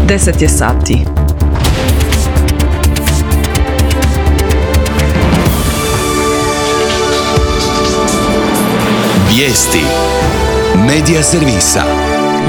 10 je sati. Vijesti Medija servisa.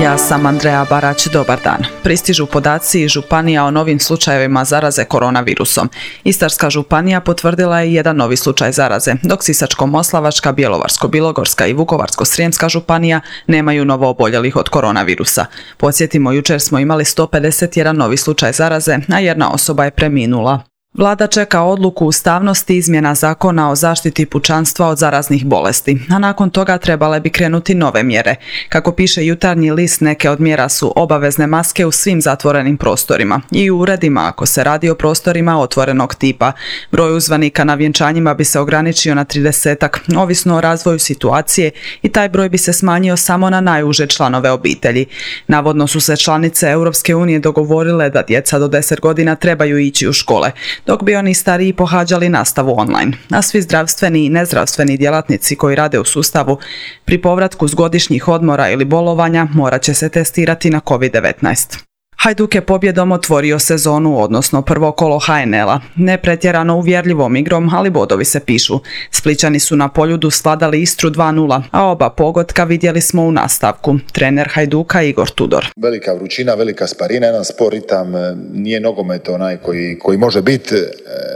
Ja sam Andreja Barać, dobar dan. Pristižu podaci iz županija o novim slučajevima zaraze koronavirusom. Istarska županija potvrdila je jedan novi slučaj zaraze, dok Sisačko-moslavačka, Bjelovarsko-bilogorska i Vukovarsko-srijemska županija nemaju novo oboljelih od koronavirusa. Podsjetimo, jučer smo imali 151 novi slučaj zaraze, a jedna osoba je preminula. Vlada čeka odluku ustavnosti izmjena zakona o zaštiti pučanstva od zaraznih bolesti, a nakon toga trebale bi krenuti nove mjere. Kako piše Jutarnji list, neke od mjera su obavezne maske u svim zatvorenim prostorima i u uredima ako se radi o prostorima otvorenog tipa. Broj uzvanika na vjenčanjima bi se ograničio na 30-ak, ovisno o razvoju situacije, i taj broj bi se smanjio samo na najuže članove obitelji. Navodno su se članice Europske unije dogovorile da djeca do 10 godina trebaju ići u škole, dok bi oni stariji pohađali nastavu online. A svi zdravstveni i nezdravstveni djelatnici koji rade u sustavu pri povratku s godišnjih odmora ili bolovanja morat će se testirati na COVID-19. Hajduk je pobjedom otvorio sezonu, odnosno prvo kolo HNL-a. Ne pretjerano uvjerljivom igrom, ali bodovi se pišu. Splićani su na Poljudu svladali Istru 2:0, a oba pogotka vidjeli smo u nastavku. Trener Hajduka Igor Tudor. Velika vrućina, velika sparina, jedan spor ritam, nije nogomet onaj koji može biti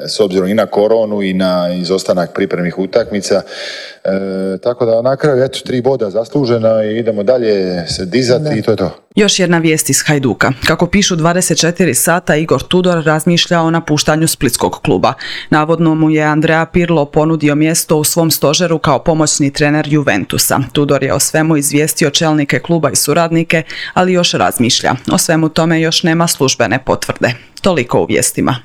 s obzirom i na koronu i na izostanak pripremnih utakmica. Tako da na kraju 3 boda zaslužena i idemo dalje se dizati i to je to. Još jedna vijest iz Hajduka. Kako pišu 24 sata, Igor Tudor razmišlja o napuštanju splitskog kluba. Navodno mu je Andrea Pirlo ponudio mjesto u svom stožeru kao pomoćni trener Juventusa. Tudor je o svemu izvijestio čelnike kluba i suradnike, ali još razmišlja. O svemu tome još nema službene potvrde. Toliko u vijestima.